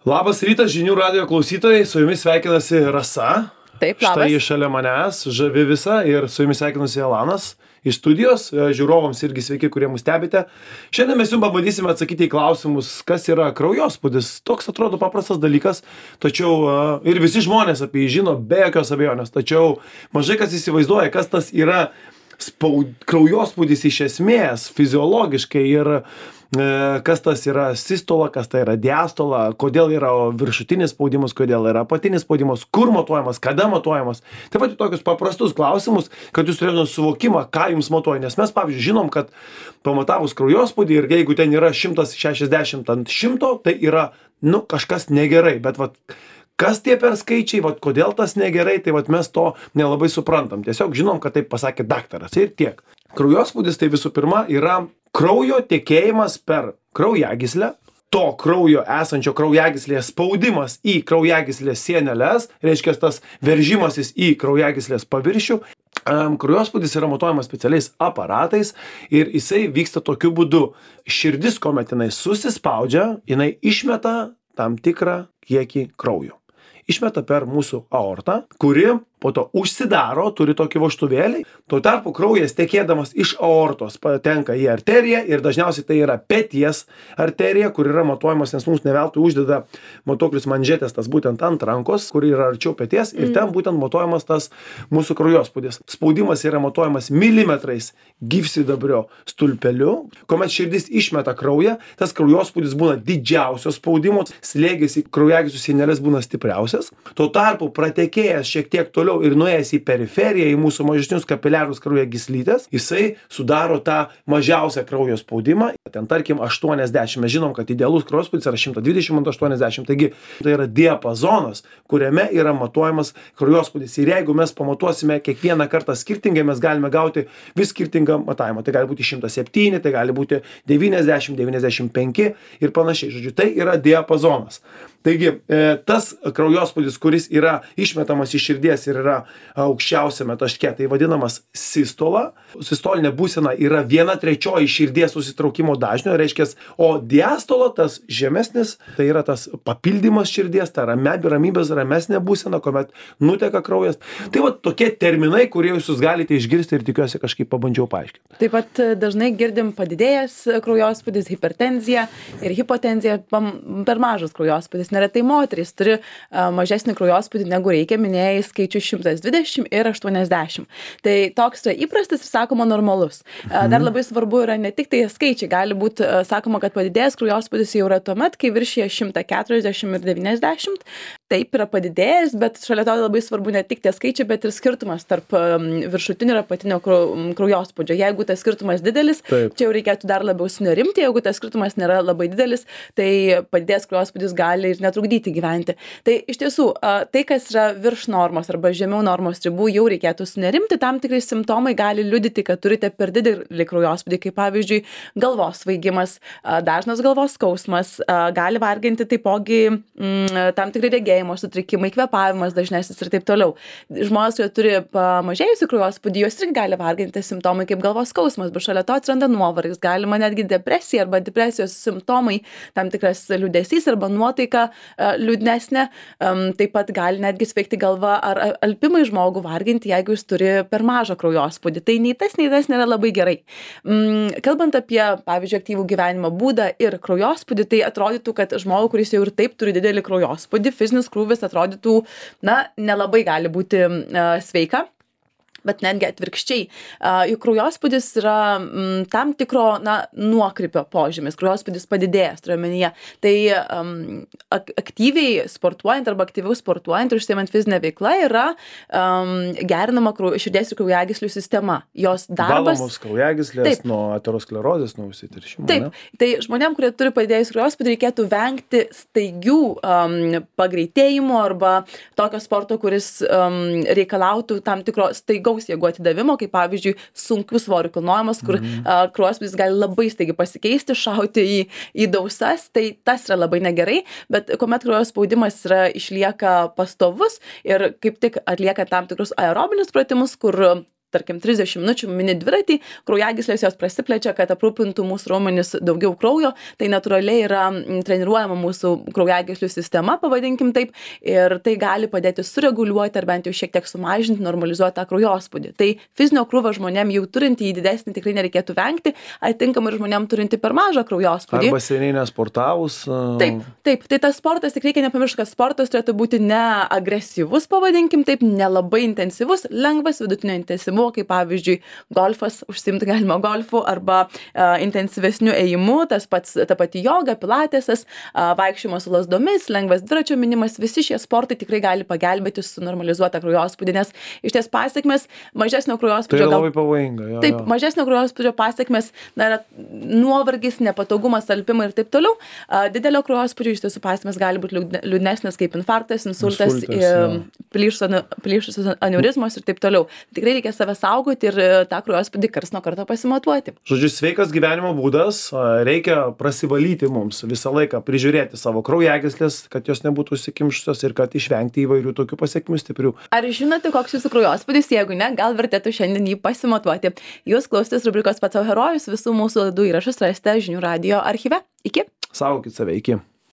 Labas rytas, žinių radijo klausytojai, su jumis sveikinasi Rasa. Taip, labas. Štai šalia manęs, žavi visa, ir su jumis sveikinasi Elanas iš studijos. Žiūrovams irgi sveiki, kurie mus stebite. Šiandien mes jums pabandysime atsakyti į klausimus, kas yra kraujospūdis. Toks atrodo paprastas dalykas, tačiau ir visi žmonės apie jį žino, be jokios abejonės. Tačiau mažai kas įsivaizduoja, kas tas yra kraujospūdis iš esmės, fiziologiškai, ir kas tas yra sistola, kas tai yra diastola, kodėl yra viršutinis spaudimas, kodėl yra apatinis spaudimas, kur matuojamas, kada matuojamas. Taip pat tokius paprastus klausimus, kad jūs turėtumėte suvokimą, ką jums matuoja. Nes mes, pavyzdžiui, žinom, kad pamatavus kraujospūdį ir jeigu ten yra 160 ant 100, tai yra, kažkas negerai. Bet kas tie per skaičiai, kodėl tas negerai, tai mes to nelabai suprantam. Tiesiog žinom, kad taip pasakė daktaras ir tiek. Kraujospūdis tai visų pirma yra kraujo tekėjimas per kraujagyslę, to kraujo esančio kraujagyslėje spaudimas į kraujagyslės sieneles, reiškia tas veržimasis į kraujagyslės paviršių. Kraujospūdis yra matuojamas specialiais aparatais ir jisai vyksta tokiu būdu. Širdis, kuomet jinai susispaudžia, jinai išmeta tam tikrą kiekį kraujo. Išmeta per mūsų aortą, kuri po to užsidaro, turi tokį vožtuvėlį. Tuo tarpu kraujas tekėdamas iš aortos patenka į arteriją ir dažniausiai tai yra peties arterija, kur yra matuojamas, nes mums ne veltui uždeda matuoklius manžetės, tas būtent ant rankos, kur yra arčiau peties, ir ten būtent matuojamas tas mūsų kraujospūdis. Spaudimas yra matuojamas milimetrais gyvsidabrio stulpeliu. Kuomet širdis išmeta kraują, tas kraujospūdis būna didžiausio spaudimo, slėgis į kraujagyslių sieneles būna stipriausias. Tuo tarpu pratekėjęs šiek tiek toliau ir nuėjęs į periferiją, į mūsų mažesnius kapiliarus kraujagyslytės, jisai sudaro tą mažiausią kraujo spaudimą. Ten tarkim 80. Mes žinom, kad idealus kraujospūdis yra 120/80. Taigi tai yra diapazonas, kuriame yra matuojamas kraujospūdis. Ir jeigu mes pamatuosime kiekvieną kartą skirtingai, mes galime gauti vis skirtingą matavimą. Tai gali būti 107, tai gali būti 90, 95 ir panašiai. Žodžiu, tai yra diapazonas. Taigi, tas kraujospūdis, kuris yra išmetamas iš širdies ir yra aukščiausiame taške, tai vadinamas sistola. Sistolinė būsena yra 1/3 širdies susitraukimo dažnio, reiškia, o diastola, tas žemesnis, tai yra tas papildymas širdies, ta ramybės ramesnė būsena, kuomet nuteka kraujas. Tai tokie terminai, kurie jūs galite išgirsti ir tikiuosi kažkaip pabandžiau paaiškinti. Taip pat dažnai girdim padidėjęs kraujospūdis, hipertenzija ir hipotenzija, per mažas kraujospūdis. Neretai moterys turi mažesnį kraujospūdį negu reikia, minėjai skaičių 120 ir 80. Tai toks yra įprastas ir sakoma normalus. Dar labai svarbu yra ne tik tai skaičiai, gali būti sakoma, kad padidėjęs kraujospūdis jau yra tuomet, kai viršyje 140 ir 90. Taip yra padidėjęs, bet šalia to labai svarbu ne tik tie skaičiai, bet ir skirtumas tarp viršutinio ir apatinio kraujospūdžio. Jeigu tas skirtumas didelis, Taip. Čia jau reikėtų dar labiau sunerimti, jeigu tas skirtumas nėra labai didelis, tai padidėjęs kraujospūdis gali ir netrukdyti gyventi. Tai iš tiesų, tai, kas yra virš normos arba žemiau normos ribų, jau reikėtų sunerimti. Tam tikrai simptomai gali liudyti, kad turite per didelį kraujospūdį, kaip pavyzdžiui galvos svaigimas, dažnas galvos skausmas, gali varginti taipogi tam tikrai regėjimo sutrikimai, kvėpavimas dažnesnis ir taip toliau. Žmonės, kurie turi pamažėjusių kraujospūdį, juos irgi gali varginti simptomai kaip galvos skausmas, bet šalia to atsiranda nuovargis, galima netgi depresija arba depresijos simptomai, tam tikras liūdesys arba nuotaika liūdnesnė, taip pat gali netgi sveikti galva ar alpimai žmogų varginti, jeigu jis turi per mažą kraujospūdį. Tai nei tas nėra labai gerai. Kalbant apie, pavyzdžiui, aktyvų gyvenimo būdą ir kraujospūdį, tai atrodytų, kad žmogų, kuris jau ir taip turi didelį kraujospūdį, fizinis krūvis atrodytų, nelabai gali būti sveika. Bet netgi atvirkščiai. Juk kraujospūdis yra tam tikro nuokrypio požymis. Kraujospūdis padidėjęs, turiu omenyje. Tai aktyviai sportuojant arba aktyviau sportuojant ir užsiimant fizinę veiklą yra gerinama širdies ir kraujagyslių sistema. Jos darbas... Valomos kraujagyslės nuo aterosklerozės, nuo užsitiršimo. Taip. Tai žmonėm, kurie turi padidėjus kraujospūdį, reikėtų vengti staigių pagreitėjimų arba tokio sporto, kuris reikalautų tam tikro staigaus jėgų atidavimo, kaip pavyzdžiui sunkių svorių kilnojimas, kur kraujospūdis gali labai staigiai pasikeisti, šauti į dausas, tai tas yra labai negerai, bet kuomet kraujo spaudimas išlieka pastovus ir kaip tik atlieka tam tikrus aerobinius pratimus, kur tarkim 30 minučių mini dviratį, kraujagyslės jos prasiplečia, kad aprūpintų mūsų raumenis daugiau kraujo, tai natūraliai yra treniruojama mūsų kraujagyslių sistema, pavadinkim taip, ir tai gali padėti sureguliuoti ar bent jau šiek tiek sumažinti, normalizuoti tą kraujospūdį. Tai fizinio krūvio žmonėm jau turintį į didesnį tikrai nereikėtų vengti, atitinkamai ir žmonėm turintį per mažą kraujospūdį. Arba seniai nesportavus. Taip, tai tas sportas tik reikia nepamiršti, kad sportas turėtų būti ne agresyvus, pavadinkim taip, nelabai intensyvus, lengvas, vidutinio intensyvumo, kaip pavyzdžiui golfas, užsiimti galima golfu arba intensyvesniu ėjimu, ta pati joga, pilatesas, vaikščiojimas su lasdomis, lengvas dviračio minimas, visi šie sportai tikrai gali pagelbėti sunormalizuotą kraujospūdį, nes iš ties pasiekmes mažesnio kraujospūdžio. Tai labai pavojinga. Taip, mažesnio kraujospūdžio pasiekmes, yra nuovargis, nepatogumas, alpimai ir taip toliau. Didelio kraujospūdžio iš tiesų pasiekmes gali būti liūdnesnės kaip infarktas, insultas, plyšusios aneurizmos ir taip toliau. Tikrai reikia save saugoti ir tą kraujospūdį karts nuo karto pasimatuoti. Žodžiu, sveikas gyvenimo būdas, reikia prasivalyti mums visą laiką, prižiūrėti savo kraujagyslės, kad jos nebūtų užsikimšusios ir kad išvengti įvairių tokių pasekmių stiprių. Ar žinote, koks jūsų kraujospūdis? Jeigu ne, gal vertėtų šiandien jį pasimatuoti. Jūs klausotės rubrikos Pats sau herojus, visų mūsų laidų įrašus rasite žinių radijo archyve. Iki. Saugokit save, iki.